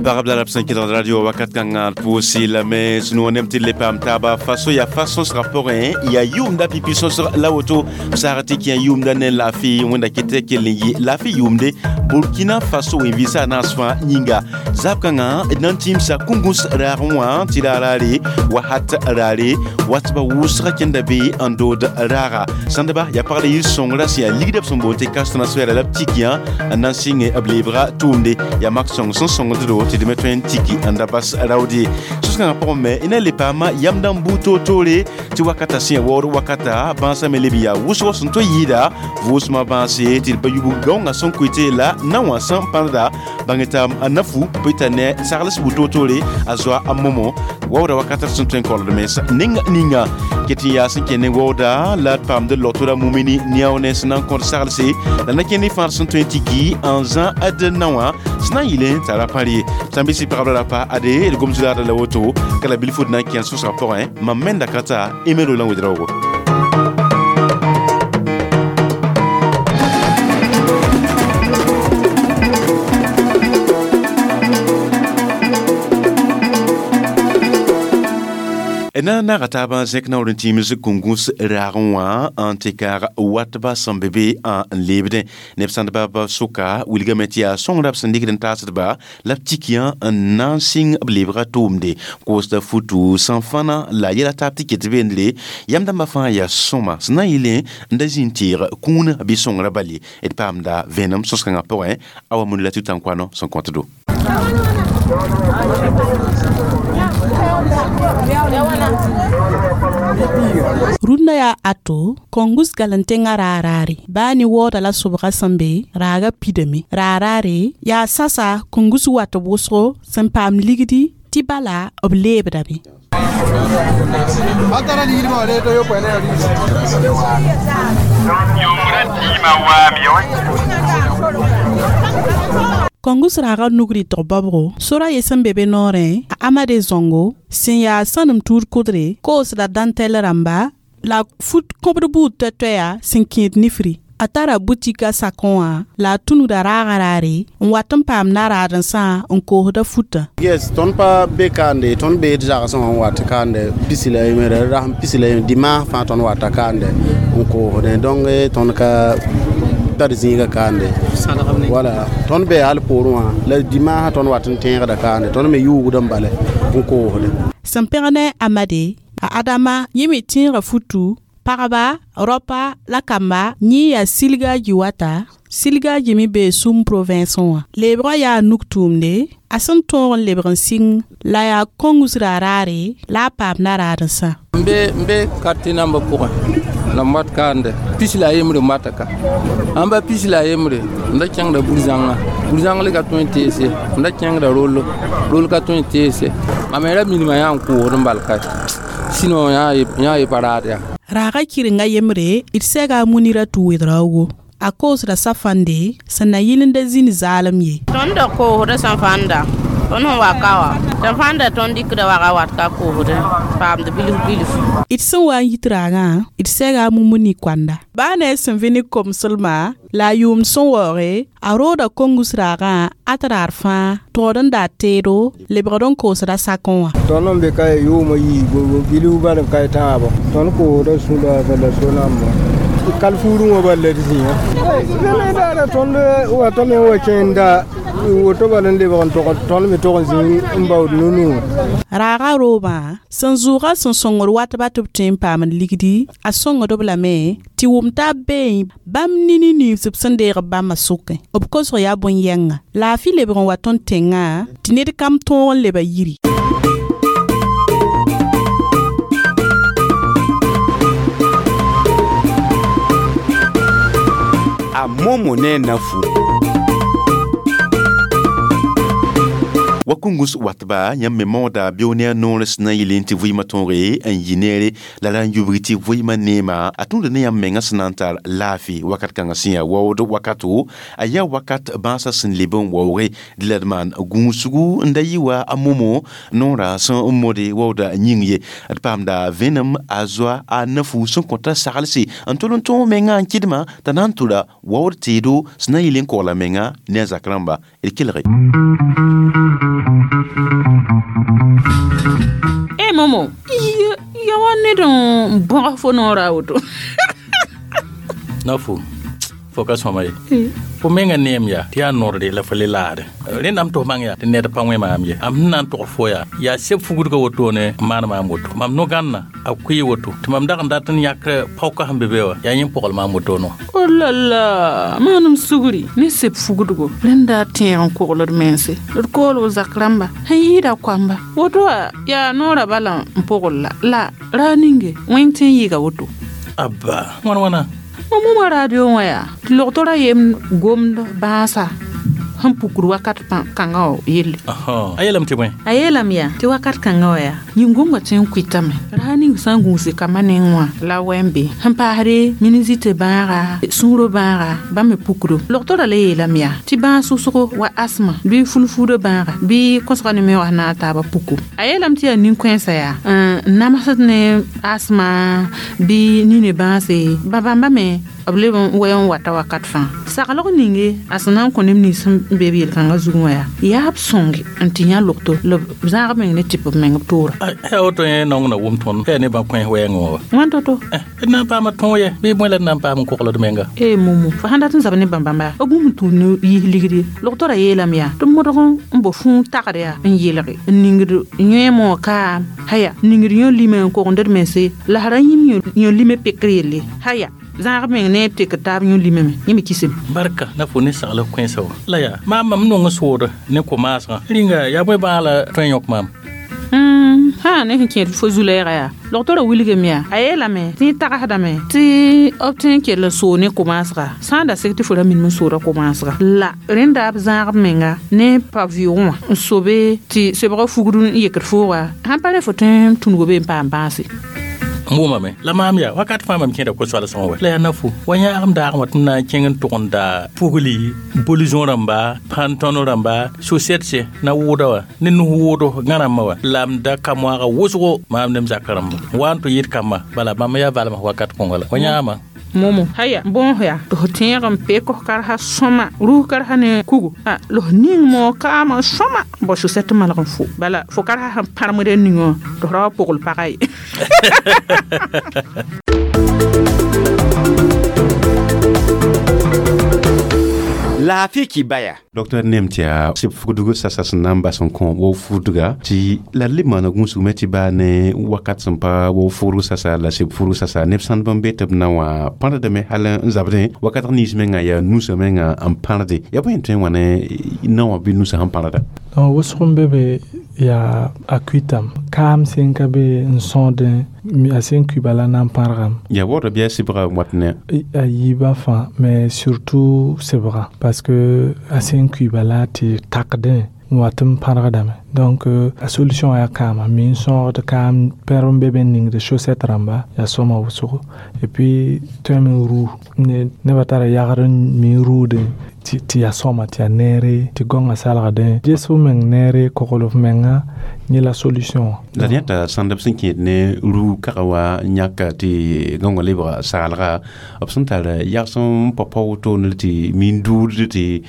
Pagb la b sẽn kelgd radio wakat kãngã d pʋʋsɩ lame sũ-noog nem tɩ d le paam taaba faso yaa fa sõsgã pʋgẽ yaa yʋʋmda pipi sõsg la woto b saag tɩ kẽ yʋʋmda ne laafɩ wẽnda ket kell n yɩ laafɩ yʋʋmde Burkina Faso wẽn-vɩɩsã a naas fãa yĩnga zaab kãngã d na n tĩimsa kũngus raagẽ wã tɩ raaraare wahat raare watba wʋsgã kẽnda be n dood raaga sãndba yaa pagl yir-sõngrã sẽn yaa ligdã b sẽn boond tɩ cash transfert la b tikiyã n na n sɩng b leebga tʋʋmde yaa mak sõng sẽn sõngd-do tɩ d me tõe n tiki n da bas raood ye sos-kãngã pʋgẽ me y na le paama yamdã n buud toor-toore tɩ wakata sẽn yaa waood wakata bãasã me leb n yaa wʋsg sẽn to yɩɩda vʋʋsmã bãase tɩ d pa yubg gaoongã sẽn koe la na wã sẽn pãrda bãng t'a a nafu pʋɩ t'a ne sagls bu toor-toore a zoa a momo waooda wakat d sẽn tõe n kolgd mens ning ninga ket n yaa sẽn kẽ ne waooda la d paamd logtora mumini neao ne sẽn na n kõt saglse la na kẽ ne fãar sẽn tõe n tiki n zã d na wã sẽn na n yɩlẽ t'a ra pãr ye sã n bɩ sɩ pagb la ra pa ade d gom zulaada la woto ka la bilf d na n kẽ sõsgã pʋgẽ mam menda ka ta Emero la Ouedraogo. Na naga taaba zẽk naoor n tĩims kũngus raagẽ wã n tɩ kaag watba sẽn be be n leebdẽ neb sãndba b sʋka wilgame tɩ yaa sõngrã b sẽn dɩkd n taasdba la b tikiyã n na n sɩng b leebga tʋʋmde koosda futu sẽn fãna la yɛla taab tɩ ket beendre yam dãmbã fãa yaa sõma sẽn na n yɩlẽ n da zĩ n teeg kũunã bɩ sõngrã bal ye d paamda vẽenem sõs-kãngã pʋgẽ awa mun la tɩ tãnkoano sẽn kõt-do. Rũndã yaa ato kõngus galentẽngã raaraare baa ne waooda la sobga sẽn be raaga pidame raaraare yaa sasa kõngus wat b wʋsgo sẽn paam ligdi tɩ bala b leebdame. Kõngus raaga nug rɩtg baobgo sora ye sẽn be be noorẽ a Amade Zongo sẽn yaa sãnem tuud kʋdre koosda dãntɛl rãmba la fut kõbd buud toɛ-toɛya sẽn kẽed nifri a tara butika sakõ wã la a tũnuda raagã raare n wat n paam naraadensã n koosda futã. Yes, tõnd pa be kaande, tõnd bee d zagsẽ wã n wat kaande pisi la yembre, rasem pisi la yembre, dimanche fãa tõnd wata kaande n koosdẽ. Donc tõnd ka tar zĩiga kaande. Wala, tõnd be hal poorẽ wã, la dimanche tõnd wat n tẽegda kaande, tõnd me yuugd n bala n koosdẽ. Sẽn pẽg ne Amade, a Adama yẽ me tẽega futu pagba rapa la kamba yẽ yaa silgaaji wata silgaaji me bee sum province wã leebgã yaa nug tʋʋmde a sẽn tõog n lebg n sɩng la yaa kõngus raaraare la a paam naraadensã. N be quartier nambã pʋgẽ la m wat kaande pis la yembre n wata ka ãmba pis la yembre n da kẽngda bur-zãngã bur-zãng le ka tõe n teese n da kẽngda rollo rol ka tõe n teese mam me ra minimã yaa n koosd n bal kae sinon yã ye pa raad yaa. Raaga kɩrenga yembre d sɛga a munira tɩ Ouedraogo a koosda safande sẽn na yɩl n da zĩnd zaalem ye. Tõnd da koosda sẽn fãnda tõnd sẽn wa ka wã sẽn fãnda tõnd dɩkda waga wat ka koosdẽ paamd bilf bilf. D sẽn wa n yit raagã d sɛga a mumuni koanda baa ne a sẽn vẽ ne komslma la a yʋʋmd sẽn waooge a rooda kongus raagã a tɩ raar fãa togd n daa teedo lebgd n koosda sakẽ wã. Tõnd n be ka yʋʋmã yiibu bilf bal n ka tãabo tõnd koosda sũda la so-namba kal fuurẽ wã bal la d zĩã daara tõnd watame wa kẽenda woto bal n lebg n tog tõnd me tog n zĩ n baood nu-nuur. Raaga roobã sẽn zʋʋga sẽn sõngd watba tɩ b tõe n paamd ligdi a sõngd-b lame tɩ wʋm taab beẽ bãmb nini nins b sẽn deeg b bãmbã sʋkẽ b kosg yaa bõn-yɛnga laafɩ lebg n wa tõnd tẽngã tɩ ned kam tõog n leba yiri. A momo ne nafu. Wa kũngus watba yãmb me maooda beo ne a noor sẽn na n yɩl tɩ vɩɩmã tõoge n yɩ neere la ra n yubg tɩ vɩɩmã neema a tũud ne yãmb mengã sẽn na n tar laafɩ wakat kãngã sẽn yaa waood wakato a yaa wakat bãasã sẽn leb n waooge dɩ la d maan gũusgu n da yɩ wa a momo noorã sẽn n mode waooda yĩng ye d paamda vẽenem a zoa a nafu sẽn kõta saglse n tol n tõog mengã n kɩdmã t'a na n tʋra waood teedo sẽn na n yɩl n kogla menga ne a zak rãmba d kelge. E momo ya wa ned n bõg fo noorã a woto. Na fo fo ka sõma ye, fo menga neem yaa tɩ yaa norde la fo le laade. Rẽndame tɩ f bãng yaa tɩ ned pa wẽ maam ye. Am sẽn na n tog fo yaa, yaa seb fugdga wotone n maan maam woto. Mam no-gãnna a kʋɩ woto tɩ mam dag n dat n yãk paoka sẽn be be wã, yaa yẽ pogl maam wotone wã. O la la, maanem sugri ne seb fugdgo rẽnda tẽeg n kogld mense d koolg zak rãmba sẽn yɩɩda koamba woto wã yaa noorã bala n pogl la la raa ninge wẽng tɩ n yɩɩga woto. Abba, wãn wãna? Mam wʋma radio wã yaa tɩ logtora yem gomd bãasa sẽn pukd wakat kãngã wã yelle. A yeelame tɩ bõe? A yeelame yaa tɩ wakat kãngã wã yaa yĩn-gõngã tõe n kʋɩtame raa ning sã n gũuse kambã neng wã la wɛ n be sẽn paasde minisite bãaga, sũurã bãaga bãmb me pukdo. Logtorã la yeelame yaa tɩ bãas sʋsgo wa asma bɩ fulfuudã bãaga bɩ kõsga ne meoog na a taabã puku. A yeelame tɩ yaa nin-kãensã yaa n namsd ne asma bɩ nine bãase ba bãmba me b leb n wɛ n wata wakat fãa. Saglg ninge a sẽn na n kõ neb nins sẽn be b yel-kãngã zugẽ wã yaa b sõnge n tɩ yã logto la b zãag meng ne tɩp b meng b toora. Yaa woto yẽ naong na wʋm tõnd yaa ne bã-kões wɛɛngẽ wã wa. Wãn to-to? D na n paama tõog yɛ bɩ bõe la d na n paam n kogld menga? E momo, fo sãn dat n zab ne bãmb-bãmba b bũmb n tũud ne yiis ligd ye. Logtorã yeelame yaa tɩ modg n bo fũu tagd yaa n yelge n ningd yõeem wã kaam haya n ningd yõ lime n kogend d mense la sã ra yĩm yõ lime pekr yelle haya zãag meng ne b tekd taab yõ limame yẽ me kisem. Barka na fo ne sagl kẽesa wã la yaa maam mam nong sood ne ko-maasgã rĩnga yaa bõe bãag la tõe n yõk maam? Sã ne sẽn kẽed fo zu-lɛɛga yaa logtorã wilgame yaa a yeelame tɩ yẽ tagsdame tɩ b tõe n kell n soog ne ko-maasga sã n da sek tɩ fo ra minim n sooda ko-maasga la rẽnda b zãag b menga ne pa vɩʋʋgẽ wã n sobe tɩ sebgã fugd n yekd fooga sãn pa rẽ fo tõe n tũnug be n paam bãase. N wʋmame la maam yaa wakat fãa mam kẽeda ko-soalsgẽ wɛ la yaa na-fo wa yãagem daagẽ wã tɩ m na n kẽng n tʋgemda pugli bolizõ rãmba, pãntõno rãmba, sosɛtse na wʋʋda wã ne nus wʋʋdo gã rãmbã wã la m da ka moaaga wʋsgo maam ne m zakã rãmba wa n tɩ yɩɩd kambã bala bãmb yaa valem wakat kõnga la wa yãama. Momo haya bõos yaa tɩ f tẽeg n pek f karsa sõma rus karsa ne kugo la f ning moog kaamã sõma bao sosɛt malg n fo bala fo karsa sẽn pãremd a ning wã tɩ f ra wa pogl pagã ye. Laafɩ kibaya. Docteur nem tɩ yaa seb fugdg sasa sẽn na n bas n kõ wa fudga tɩ la d le maana gũusgme tɩ baa ne wakat sẽn pa wa fudg sasa la seb fudg sasa neb sãndb n be tɩ b na wã pãrdame hal n zabdẽ wakat nins menga yaa nusã menga n pãrde yaa bõe n tõe n wã ne na wã bɩ nusã sẽn pãrda? Donc wʋsg n be be yaa a kuitam kaam sẽn ka be n sõodẽ a sẽn kui bala na n pãrgame. Yaa waoodã bɩ a sebga n wat ne? A yiibã fãa, mais surtout sebga, parce que a sẽn kui bala tɩ takdẽ n wat n pãrgdame. Donc a solution yaa kaama mi n sõogd kaam pɛrb n be be n ningd chaussette rãmba yaa sõma wʋsgo et puis tõeme n ruu nebã tara yagd n mi n ruudẽ tɩ yaa sõma tɩ yaa neere tɩ gõngã salgdẽ ges f meng neere kogl f menga yẽ la solution wã. La yãta sãnd b sẽn kẽed ne ruu kaga wa yãka tɩ gõngã lebga saalga b sẽn tar yags n pa-pa wotone tɩ min duud tɩ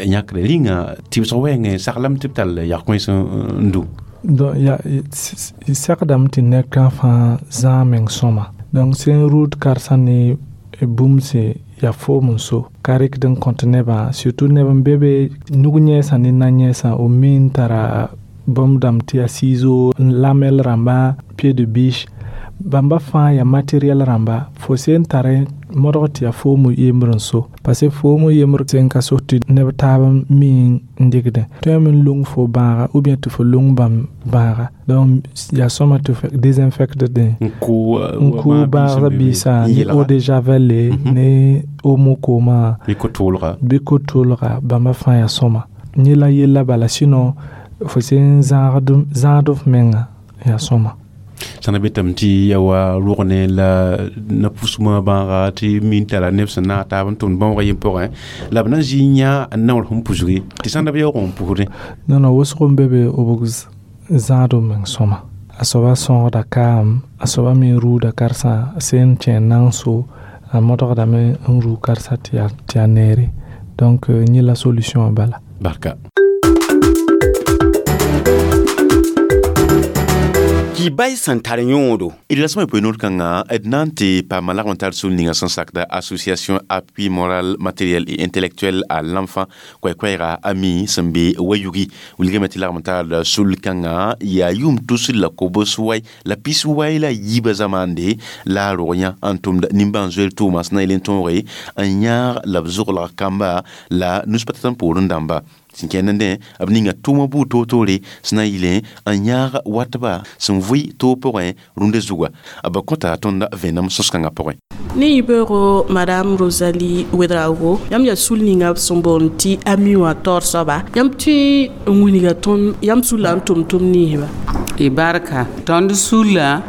yãkda rĩnga tɩbsg wɛɛngẽ saglame tɩ b tall yag-kões n du. Donc ya segdame tɩ ned-kã fãa zãag meng sõma. Donc sẽn ruud karsã ne bũmb yaa foom n so ka rɩkd n kõt nebã, surtout neb n be be nug yẽesã ne na-yẽesã b mi n tara bõmb dãmb tɩ yaa ciseau, lamɛl rãmba, pied de biche bãmba fãa yaa matériel rãmba fo sẽn tare modg tɩ yaa foom yembr n so, parce que foom yembr sẽn ka so tɩ neb taab mi n dɩgdẽ tõeme n lung fo bãaga ou bien tɩ fo lung bãmb bãaga. Donc yaa sõma tɩ f désinfectdẽ n kʋ bãagda biisã ne eau de javel ne omo koomã bɩ ko-toolga bãmba fãa yaa sõma yẽ la yella bala, sinon fo sẽn zãagd f menga yaa sõma. Sãn na betame tɩ ya wa rʋgne la na-pʋsmã bãaga tɩ min tara neb sẽn naag taab n tʋmd bãoogã yem pʋgẽ la b na n zĩ n yã n naoor sẽn pusge tɩ sãnda b yaoog n pusdẽ. Non, non, wʋsg n be be b zãad b meng sõma. A soaba sõogda kaam, a soaba me ruuda karsã sẽn kẽ n so a modgdame n ruu karsã tɩ yaa neere. Donc yẽ la solution bala. Barka. Kibay sẽn tar yõodo. D la sõma poe-noor kãnga d na n tɩ paama lagm n tar sul ninga sẽn sakda Association Appui Moral, Matériel et Intellectuel à l'Enfant, koɛɛ-koɛɛga Ami sẽn be Wayugi. Wilgame tɩ lagm n tar sul kãnga yaa yʋʋm tusr la kobs wai la pis wai la yiibã zamaande la a rog yã n tʋmd nimbãan-zoeer tʋʋma sẽn na yel n tõoge n yãag la b zoglg kamba la nus-pa-tãn poorẽ dãmba sẽn kẽnd b ninga tʋʋmã buud toor-toore sẽn na n yɩlẽ n yãag watba sẽn vʋɩ toog pʋgẽ rũndã zuga. B kõta tõnd vẽenem sõs-kãngã pʋgẽ. Ne yibeoogo Madame Rosalie Ouedraogo, yãmb yaa sul ninga b sẽn boond tɩ Ami wã taoor soaba, yãmb tõe n wilga tõnd yãmb sulla n tʋm-tʋm ninsba? Y barka tõnd sulla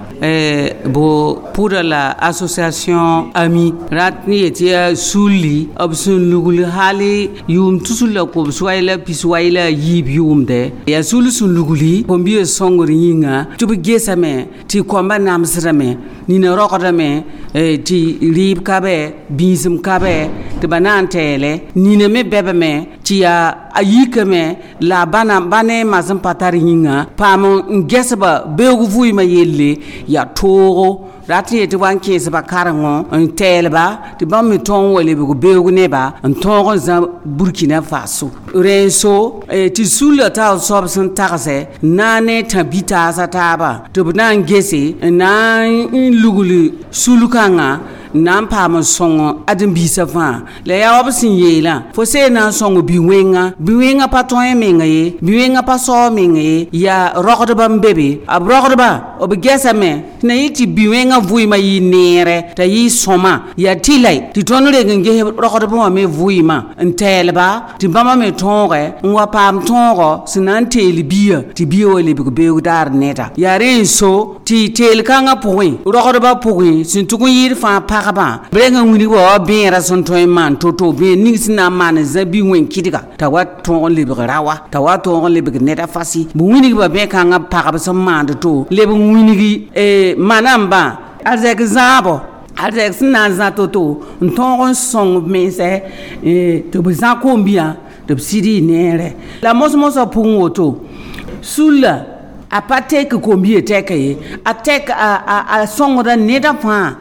bo pʋda la association Ami rat n yet yaa sulli b sẽn lugl hali yʋʋm tusr la kobs wai la pis wai la yiib yʋʋmdɛ yaa sul sẽn lugli kom-biya sõngr yĩnga tɩ b gesame tɩ koambã namsdame nina rogdame tɩ rɩɩb ka bɛ bĩisem ka bɛ tɩ ba na n tɛɛlɛ nina me bɛbame tɩ yaa a yikame la bãna ba ne masẽn pa tar yĩnga paam n gɛsba beoog vʋɩɩmã yelle yaa toogo rat n yetɩ wa n kẽesba karengõ n tɛɛlba tɩ bãmb me tõog n wa lebg beoog neba n tõog n zã Burkina Faso rẽen-so tɩ sulla taoor soab sẽn tagsɛ na n ne tã-bi-taasã taaba tɩ b na n gese n na n lugl sul-kãngã n na n paam n sõng ãdem-biisã fãa la yaa wa b sẽn yeelã fo see na n sõng bi-wẽnga bi-wẽngã pa tõe menga ye bi-wẽngã pa sao menga ye yaa rogdbã n be be b rogdbã b gɛsame tɩ na yɩ tɩ bi-wẽngã vʋɩɩmã yɩ neere t'a yɩ sõma yaa tɩ-la tɩ tõnd reng n ges rogdbã wã me vʋɩɩmã n tɛɛlba tɩ bãmba me tõoge n wa paam tõogo sẽn na n teel bia tɩ bia wa lebg beoog daar neda yaa rẽ n so tɩ teel-kãngã pʋgẽ rogdbã pʋgẽ sẽn tʋg n yɩɩd fãa pagba b reng n wilg wa bẽera sẽn tõe n maan to-to bẽer ning sẽn na n maan n zã bi-wẽn-kɩdga t'a wa tõog n lebg rawa t'a wa tõog n lebg neda fasi b wilgba bẽ-kãngã pagb sẽn maand to leb n wilgi manambã arzɛk zãabɔ arzɛk sẽn na n zã to-to n tõog n sõng b mensɛ tɩ b zã kom-biyã tɩ b sɩd y neere la mos-mosã pʋgẽ woto sulla a pa tek kom-biyã tɛka ye a tek a sõngda neda fãa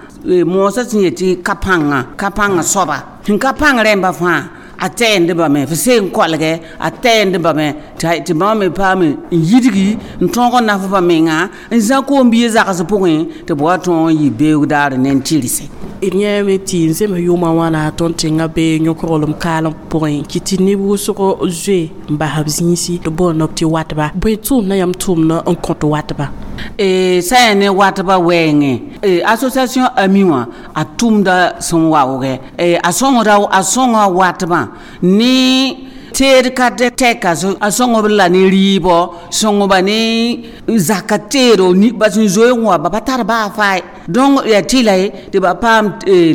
moosã sẽn yetɩ ka pãngã soaba sẽn ka pãng rẽmba fãa a tɛɛndbame f seen kolgɛ a tɛɛndbame tɩ bãmb me paam n yidgi n tõog n nafba menga n zã koom-biig zags pʋgẽ tɩ b wa tõog n yɩ beoog daar ne n tɩrse. D yãame tɩ n zems yʋʋmã wãna tõnd tẽngã bee yõkglem kaalem pʋgẽ kɩ tɩ neb wʋsg zoe n bas b zĩisi tɩ boond b tɩ watba bõe tʋʋmdã yãmb tʋʋmdã n kõt watba? Sã yaa ne watba wɛɛngẽ association Ami wã a tʋmda sẽn waoogɛ a sõngda a sõnga watbã ne teed ka tɛka a sõngb la ne rɩɩbɔ sõngba ne zaka teedo ba sẽn zoe n wa ba pa tar baa fae donc yaa tɩla ye tɩ ba paam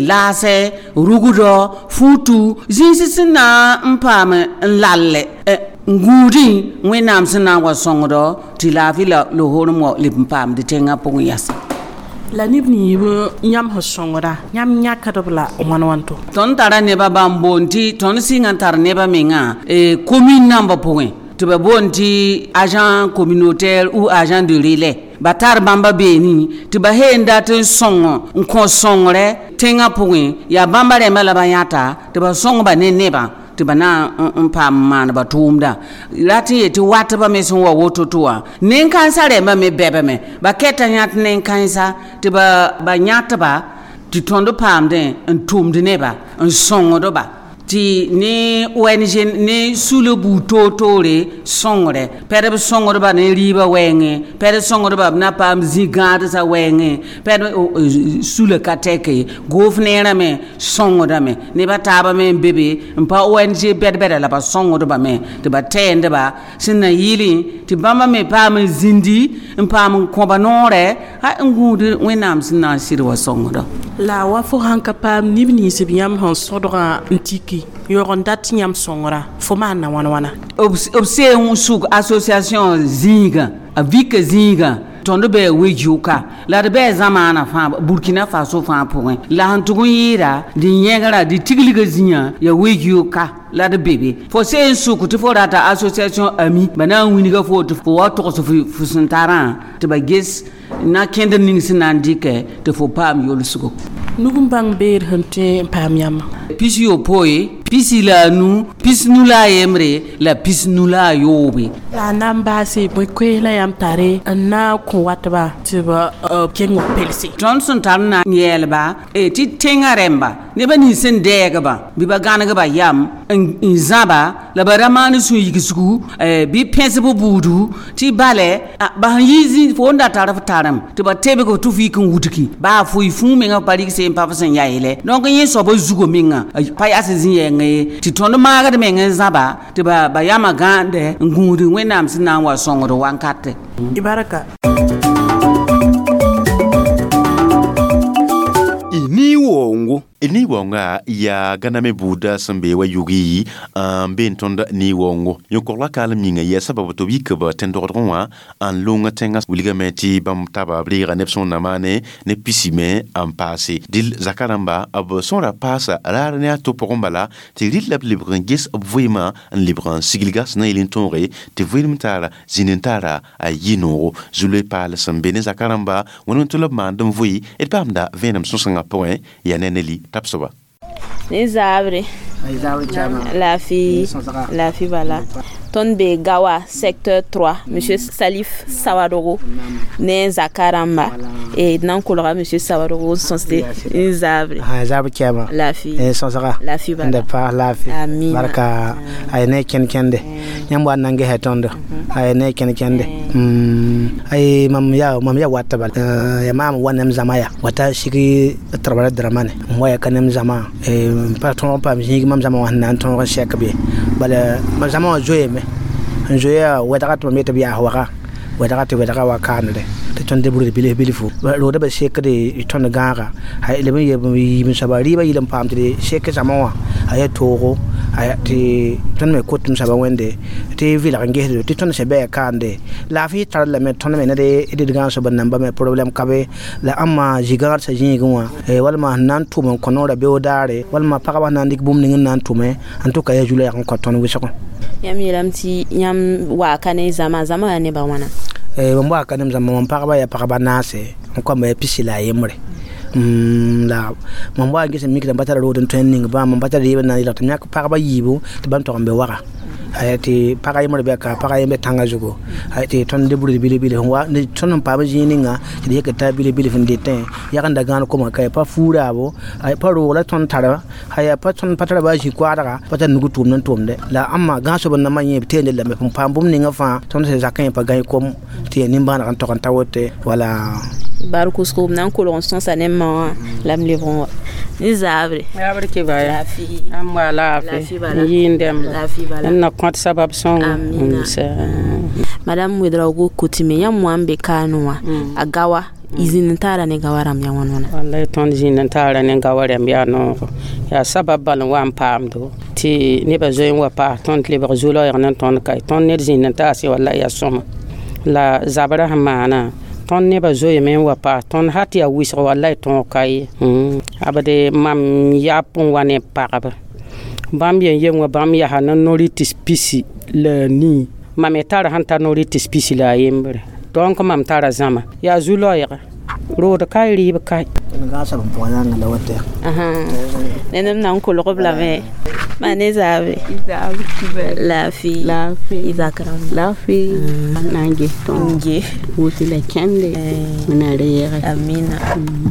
laasɛ rugdɔ fuutu zĩisi sẽn na n paam n lallɛ n gũudẽ wẽnnaam sẽn na n wa sõngdɔ tɩ laafɩ la lohorem wa leb n paamd tẽngã pʋgẽ yasa. La neb ninsb yãmb sẽn sõngda yãmb yãkdb la wãn wãn to? Tõnd tara nebã bãmb boond tɩ tõnd sɩnga n tar nebã mengã commune nambã pʋgẽ tɩ ba boond tɩ agent communautaire ou agent de relais ba tar bãmba beene tɩ ba seen dat n sõng n kõ sõngrɛ tẽngã pʋgẽ yaa bãmba rẽmbã la ba yãta tɩ ba sõngba ne nebã tɩ ba na n paam maan ba tʋʋmda rat n yetɩ watbã me sẽn wa woto-to wã nen-kãensã rẽmbã me bɛbame ba kɛta yãt nen-kãensa tɩ ba yãtba tɩ tõnd paamdẽ n tʋmd neba n sõngdba tɩ ne ONG ne sula buud toor-toore sõngrɛ pɛd b sõngdba ne rɩɩbã wɛɛngẽ pɛd sõngdba b na paam zĩ-gãadsã wɛɛngẽ pɛd sula ka tɛke goof neerã me sõngdame nebã taabã me n be be n pa ONG bɛd-bɛda la ba sõngdba me tɩ ba tɛɛndba sẽn na yɩlẽ tɩ bãmba me paam n zĩndi n paam n kõba noorɛ ha n gũud wẽnnaam sẽn na n sɩd wa sõngdɔ. La wa fo sãn ka paam neb nins b yãmb sẽn sõdgã n tiki yõg n dat yãmb sõngra fo maana wãn wãna? B seen sʋk association zĩigã a vika zĩigã tõnd bɩ we-yʋka la d bɩ zamaanã fãa Burkina Faso fãa pʋgẽ la sẽn tʋg n yɩɩda dɩ yẽgra dɩ tiglgã zĩyã yaa we-yʋka la d be be fo seen sʋk tɩ fo rata association Ami ba na n wilga fo tɩ fo wa togs fo sẽn tarã tɩ ba ges Na kẽnd ning sẽn na n dɩkɛ tɩ fo paam yolsgo. Nug n bãng beer sẽn tõe n paam yãmba. 65, 15, 21 la 23. La a na n baase bõe koees la yãmb tare n na n kõ watba tɩ b keng b pelse. Tõnd sẽn tar n na n yɛɛlba tɩ tẽngã rẽmba nebã nins sẽn dɛɛgba bɩ ba gãnegba yam n zãba la ba ra maan sũ-yigsgu bɩ pẽsb buudu tɩ balɛ ba sẽn yi zĩ fo n da tar f tarem tɩ ba tebg tɩ f yik n wudgi baa fo y fũu menga pa rɩg seen pa f sẽn ya yeele donc yẽ soaba zugo menga pa yaa sẽn zĩ yɛngã ye tɩ tõnd maagd meng n zãba tɩ ba yamã gãande n gũud Wẽnnaam sẽn na n wa sõngd wankate. Y barka. Ni wongo ni wonga ya ganame buda sẽn be wa yugi n be n tõnd ni wongo yõ-kogla kaalem yĩnga yaa sabab tɩ b yik b tẽn-dogdgẽ wã n lʋng tẽngã wilgame tɩ bãmb taba b reega neb sõn na maane ne pisi me n paase dɩl zaka rãmba b sõra paasa raar ne a to pʋgẽ bala tɩ rɩl la b lebg n ges b vɩɩmã n lebg n siglga sẽn na yel n tõoge tɩ vɩɩlem taara zĩnd n taara a yɩ noogo zu-loe paal sẽn be ne zaka rãmba wẽnd tɩ la b maand n vʋɩ d paamda vẽenem sõsengã pʋgẽ yaa ne neli tapsoba. Ni zabre lafi bala tõnd be Gawa secteur 3 monsieur Salif Sawadogo ne zakaramba e nan kolga monsieur Sawadogo sõsde ni zabre zabre kɛma lafi sõsga lafi bala nda pa lafi barka ay ne ken kende yãmb wa nan gesɛ tõndo ay ne ken kende ay mam ya wata bal ya mam wa nem zama ya wata shigi trabara dramane n wa ya ka nem zama pa tõog paam zĩig mam zama wã sẽn na n tõog n sɛk be bala mam zama wã zoeeme n zoeya wɛdga tɩ mam yetɩ b yaas waga wɛdga tɩ wɛdga wa kaanere tɩ tõnd de burd bilf bilfu rooda ba sekde tõnd gãaga leb n yeb soaba rɩɩbã yɩl n paam tɩ d sek zama wã a yaa toogo tɩ tõnd me kot m soaba wẽnde tɩ vɩlg n gesdo tɩ tõnd sẽn bɩ a kaande laafɩ tar lame tõnd me ne d gãag soab n namba me problɛm ka be la ãmma zĩ-gãadsã zĩigẽ wã walma sẽn na n tʋm n kõ noorã beoog daare walma pagba sẽn na n dɩk bũmb ning n na n tʋme n tʋka yaa zu-loɛɛg n kõ tõnd wɩsgẽ. Yãmb yeelame tɩ yãmb waaka ne zama zama yaa nebã wãna? Mam waaka nem zãma mam pagba yaa pagba naase n kõmba yaa 11. La mam wa n ges n mikd n pa tara rood n tõe n ning bãmb n pa tara rɩɩb n na n yelg tɩ m yãk pagba yiibu tɩ bãmb tog n be waga tɩ pag a yembr bɛ ka pag a yembe tãngã zugu tɩ tõnd de burd bilf bilf tõnd n paam zĩig ninga tɩ d yek t'a bilf bilf n detẽ yagenda gãan koma ka pa fuuraabo pa roog la tõnd tara pa tõnd pa tara baa zĩ-koaadga pa tar nug tʋʋmd n tʋmde la ãmma gãag soab n namba yẽ b teende lame n paam bũmb ninga fãa tõnd sẽn zakẽ pa gãe kom tɩ yaa nimbãaneg n tog n ta wote wala barkusgo b na n kolg n sõsa ne ma wã la m lebg n wa ni zabre zabre ki baya am wa lafi yĩndẽmba n na kõt sabab sõngo madame Ouedraogo kotime yãmb wã n be kaanẽ wã a Gawa y zĩnd n taara ne Gawa rãmb yaa wãn wãna wallay tõnd zĩnd n taara ne Gawa rãmb yaa noogo yaa sabab bal n wa n paamdo tɩ nebã zoe n wa paas tõnd lebg zu-loɛɛg ne tõnd ka tõnd ned zĩnd n taase wallay yaa sõma la zabrã sẽn maana tõnd nebã zoeeme n wa paas tõnd hat yaa wɩsg wallay tõog ka ye abde mam yap n wa ne pagba bãmb yen-yem wã bãmb yaa ne no-rɩtɩs 13 mam me tara sẽn tar no-rɩtɩs 13 donc mam tara zãma yaa zu-loɛɛga rood kae rɩɩb kae ned m na n kolg b lame ma ne zaabre lafi y zak rãmba lafi na n ges tõnd ge wʋsɩ la kẽnde wẽna reege amina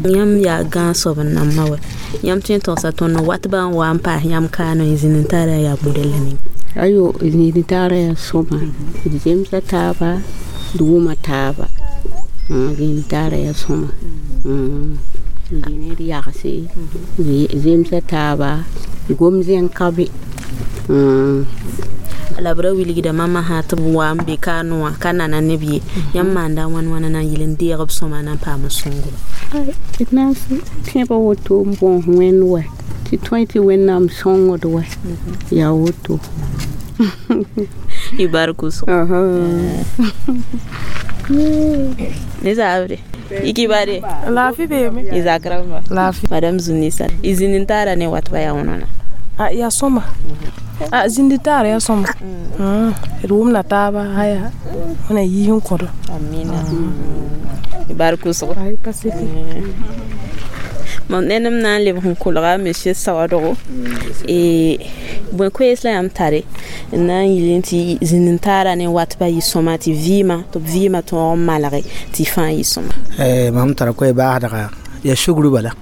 yãmb yaa gãag soab n namba wɛ yãmb tõe n togsa tõnd watbã n wa n paas yãmb kaanẽ y zĩnd n taara yaa modɛl ning ayo zĩnd n taara yaa sõma d zemsa taaba d wʋma taaba zĩnd n taara yaa sõma d ne d yagse zemsa taaba gom zẽng ka be la b ra wilgda mama sã tɩ b wa n be kaanẽ wã ka nana neb ye yãmb maanda wãn wãna na n yɩl n deeg b sõma na n paam sõngo d na n tẽba woto n bõos wẽnd wɛ tɩ tõe tɩ wẽnnaam sõngd wɛ yaa woto y barkus ne zabre ikibare lafi beeme y zak rãmba lafi madame Zunisa y zĩnd n taara ne watba yaa wãna a yaa sõma a zĩnd taara yaa sõma d wʋmda taaba haya wẽna yiis n kõdo amina Barkʋsgo mam ned m na n lebg n kolga monsieur Sawadogo bõe koees la yãmb tare n na n yɩl tɩ zĩnd n taara ne wat pa yɩ sõma tɩ vɩɩmã tɩ b vɩɩmã tõog n malge tɩ fãa yɩ sõma. Mam tara koe baasdga ya sugru bala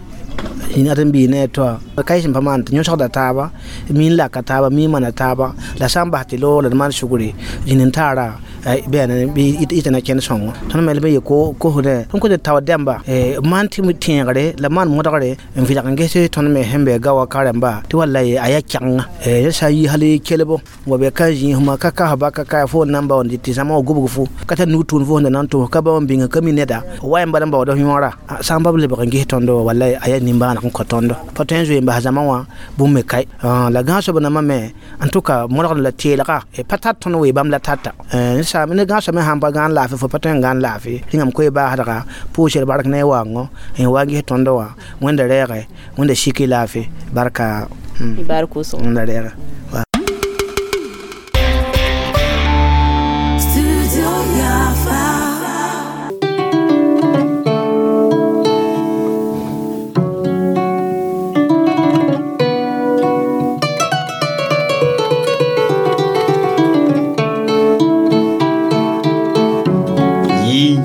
yĩn ad n bii ne to ka sẽn pa maan tɩ yõsgda taaba mi n laka taaba mi n mana taaba la sã n bas tɩ loog la d maan sugre zĩnd n taara bɛɛna ɩ tɩ na kẽnd sõngo tõnd me b ye kosdẽ tõnd kos d tao dɛmba maan tɩ tẽegre la maan modgre n vɩlg n ges tõnd me sẽn be gawa karemba tɩ wallay a yaa kɛgenga ya sã n yi hal kelbo wa be ka zĩismã ka kasba ka ka fo n na n baoond tɩ zãma wa gubg fo ka tar nug tʋʋn fo sẽn da na n tʋs ka ba n bĩnga ka mi neda wa yãmb bala n baooda yõora sã n ba b lebg n ges tõndo wallay a yaa nimbãaneg n kõ tõndo pa tõe n zoe n bas zãma wã bũmb me kae la gãosb nambã me en tout cas modgd la teelga pa tar tõnd wee bãmb la tata ne gãosb me sãn pa gãan laafɩ fo pa tõe n gãan laafɩ rĩngame koe baasdga pʋʋsr bark ne waoongo n wa n ges tõndo wã wẽnda rɛɛge wẽnda siki laafɩ barka wẽnda rɛɛge.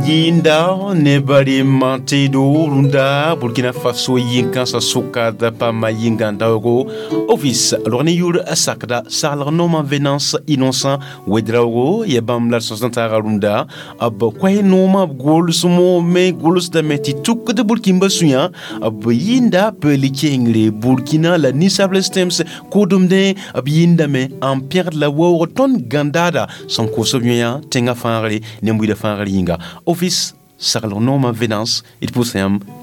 Yinda ne bari mantedo runda Burkina Faso yinkansa sokada pama yingandaogo office lorne yur sakda salr noma Venance Innocent Ouedraogo ye bamla sosanta runda ab kwai noma gol sumo me gols da meti tuk de Burkina suya ab yinda pelikengre Burkina la nisable stems kodumde ab yinda me empire de la wo ton gandada son kosobuya tenga fanre nembuida fanre yinga office Sarlo noma Venance it pousse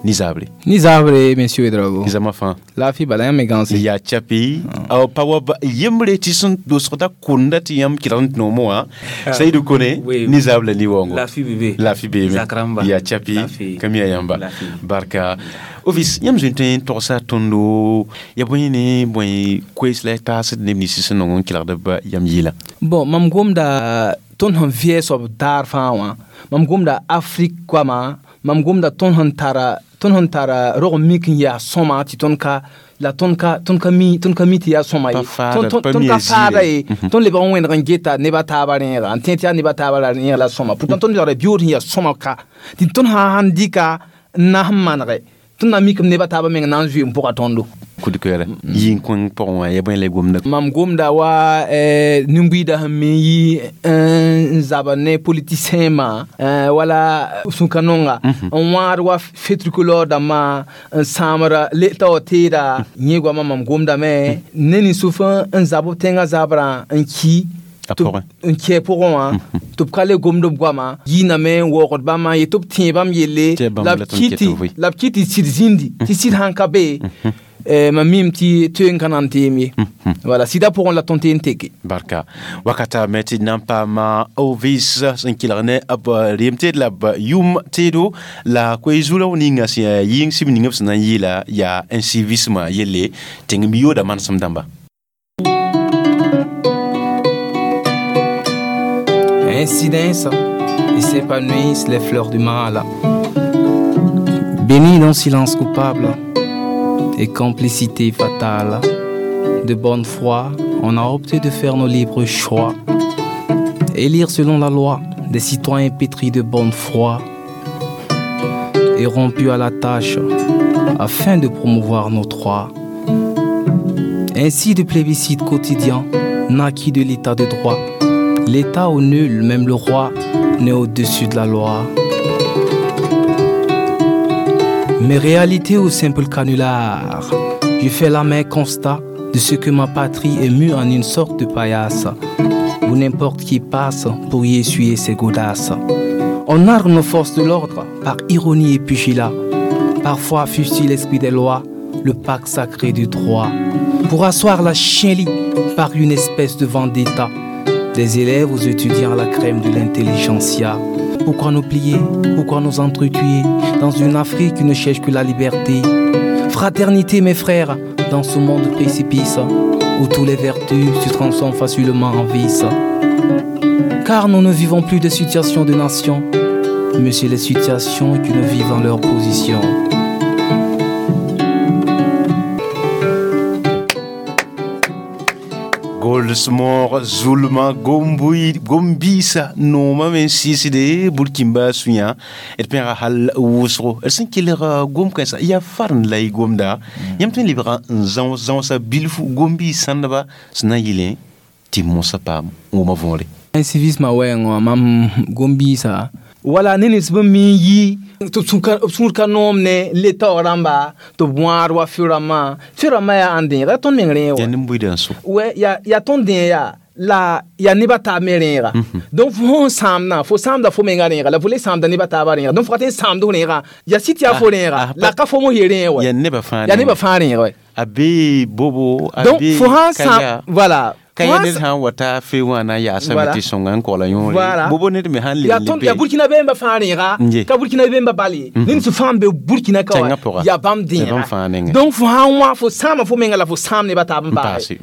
nizable. Nizable, monsieur Ouedraogo. Nizama fin. La fi bala yam gansi. Ya chapi. Aw pawa yemre tison dosrota kunda ti yam kirant no moa. Saïdou Koné nizable ni wongo. La fi bébé. La fi bébé. Zakramba. Ya chapi. Kamia yamba. Barka. Office yam zunten torsa tondo ya boyene boy kwesle tas nemni sison non kilarda ba yam yila. Bon, mam gomda tõnd sẽn vɩɛ soab daar fãa wã mam gomda Afrique goama mam gomda tõnd sẽn tara rog n mik n yaa sõma tɩ tõnd ka la tõnd ka mi tɩ yaa sõma ye tõnd ka faada ye tõnd lebg n wẽneg n geta neb a taabã rẽega n tẽ tɩ yaa neb a taabã la rẽeg la sõma pourtant tõnd lebgda biood sẽn yaa sõma ka tɩ tõnd sãn dɩka n na sẽn manege tõnd na mikame neb a taabã meng na n zoe n pʋga tõndo kudkɛɛrɛ yĩn kõng pʋgẽ wã ya bõe la y gomda mam gomda wa nin-buiidã sẽn me yi n zaba ne politicien-mã wala sũ-ka-nonga n wãad wa fetricolore dãmbã n sãamda ta wa teeda yẽ goamã mam gomdame ne nin-sʋf n zab b tẽngã zabrã n ki n kɛ pʋgẽ wã tɩ b ka le gomd b goama yiiname n waoogd bãmba n yet tɩ b tẽe bãmb yelle la b kɩ tɩ sɩd zĩndi tɩ sɩd sãn ka be mam mim tɩ tõe n ka na n teem ye wala sɩda pʋgẽ la tõnd tɩ n teke barka wakata me tɩ na n paama ovis sẽn kelg ne b reem teed la b yʋm teedo la koe-zuurã ninga sẽn yaa yɩng sib ning b sẽn na n yeela yaa incivisme yelle tẽng mi yooda manesem dãmba. Incidence et s'épanouissent les fleurs du mal. Bénis d'un silence coupable et complicité fatale. De bonne foi, on a opté de faire nos libres choix. Élire selon la loi des citoyens pétris de bonne foi et rompus à la tâche afin de promouvoir nos droits. Ainsi de plébiscite quotidien naquit de l'état de droit. L'état au nul, même le roi, n'est au-dessus de la loi. Mes réalités au simple canular, je fais l'amer constat de ce que ma patrie est mue en une sorte de paillasse, où n'importe qui passe pour y essuyer ses godasses. On arme nos forces de l'ordre par ironie et pugilat. Parfois fusille l'esprit des lois, le pacte sacré du droit, pour asseoir la chienlit par une espèce de vendetta. Des élèves aux étudiants à la crème de l'intelligentsia. Pourquoi nous plier? Pourquoi nous entretuer dans une Afrique qui ne cherche que la liberté? Fraternité, mes frères, dans ce monde précipice où tous les vertus se transforment facilement en vices. Car nous ne vivons plus de situation de nation. Monsieur, les situations que nous vivons leur position. Goldsmore Zulma Gombui Gombisa nooma me sɩsde burkimba sũyã d pẽga hal wʋsgo d sẽn kelg gom-kãensã yaa farn la y gomda yãmb tõe n lebga n zãos zãosa bilfu gom-biis sãndba sẽn na n yɩlẽ tɩ mosã paam wʋma võore. Civisme wɛɛngã mam gom-biisã wala ne nins bẽmb me n yi tɩ b sũur ka noom ne n le taoog rãmba tɩ b wãad wa fɩ rãmbã fɩ rãmbã yaa ãn dẽega yaa tõnd meng rẽeg wa nin-buiidã n so wɛ yaa tõnd dẽeg yaa la yaa neb a taab me rẽega donc fo sẽn sãamdã fo sãamda fo menga rẽega la fo le sãamda neb a taabã rẽega donc fo ka tõe n sãamd f rẽegã yaa sɩd tɩ yaa fo rẽega la ka fo mos ye rẽeg wɛ yaa nebã fãa yaa nebã fãa rẽeg wɛ a bee bobo a donc bee fo sãn sãam voilà ka ya ned sã n wa ta fe wã na n yaasame tɩ sõnga n koala yõore bobo ned me sãn leb yaa burkina be n ba fãa rẽega ka burkina be n ba bal ye ned sẽn fãa n be burkina ka wa yaa bãmb dẽega donc fo sãn wã fo sãama fo menga la fo sãam neb a taab n paase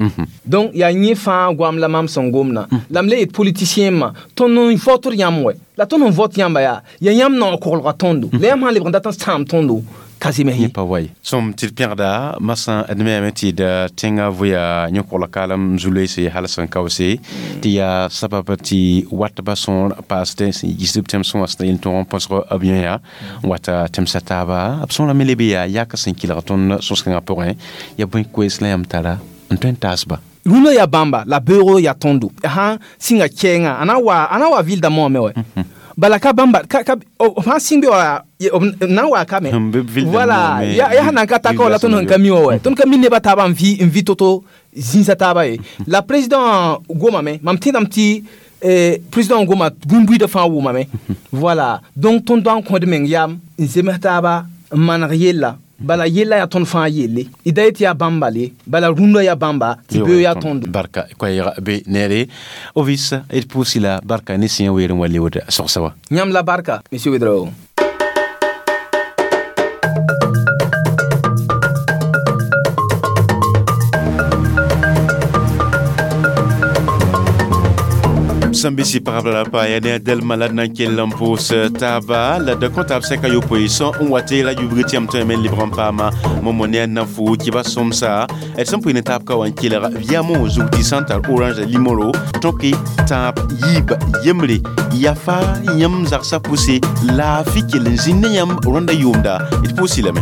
donc yaa yẽ fãa goam la mam sẽn gomdã la m le yet politicien mã tõnd n votr yãmb wɛ la tõnd n vot yãmba yaa yaa yãmb naoog koglga tõndo la yãmb sãn lebg n dat n sãam tõndo Yẽ pa wa ye sõm tɩ d pẽgda masã d meame tɩ d tẽngã voya yẽ-kogl kaalem zu-loeese hal sẽn kaoose tɩ yaa sabab tɩ watba sõor paasdẽ sẽn yiisd b tẽmsẽ wã sẽn na yel tõog n põsg b yẽya n wata tẽmsa taaba b sõorã me leb yaa yak sẽn kelg tõnd sõs-kãngã pʋgẽ yaa bõe koees la yãmb tara n tõe n taasba rũndã yaa bãmba la beoogo yaa tõndo sãn sɩnga kɛɛngã a na wa vilda moame wɛ bala ka bãmba ka b sãn sɩng be wa na n waa ka me voilà yaa sãn na n ka ta ka wa la tõnd sẽn ka mi wã wɛ tõnd ka mi neb a taabã n vɩ to-to zĩisa taaba ye la président gomame mam tẽedame tɩ président goma bũmb-buiidã fãa wʋmame voilà donc tõnd da n kõd meng yam n zems taaba n maneg yella bala yella yaa tõnd fãa yelle d da yetɩ yaa bãmba le bala rũndã yaa bãmba tɩ beo yaa tõndo barka koɛɛg be neere ovis d pʋʋsi la barka ne sẽn weer n wa leood sogsa wa yãmb la barka monsieur Ouedraogo. Sẽn be sɩ pagb la pa yaa ne a dɛlmã la d na n kell n pʋʋs taaba la d kõ taab sɛka yopoe sõ n wa tɩ la yubg tɩ yãmb tõe me n lebg n paama momo ne a nafu kɩba sõmsa d sẽn pʋɩ ne taab ka wa n kelg yamo zug tɩ sã n tar orange limoro tõke tãab yiib yembre yafa yãmb zagsã pʋse laafɩ kell n zĩnd ne yãmb rõndã yʋʋmda d pʋʋsi lame.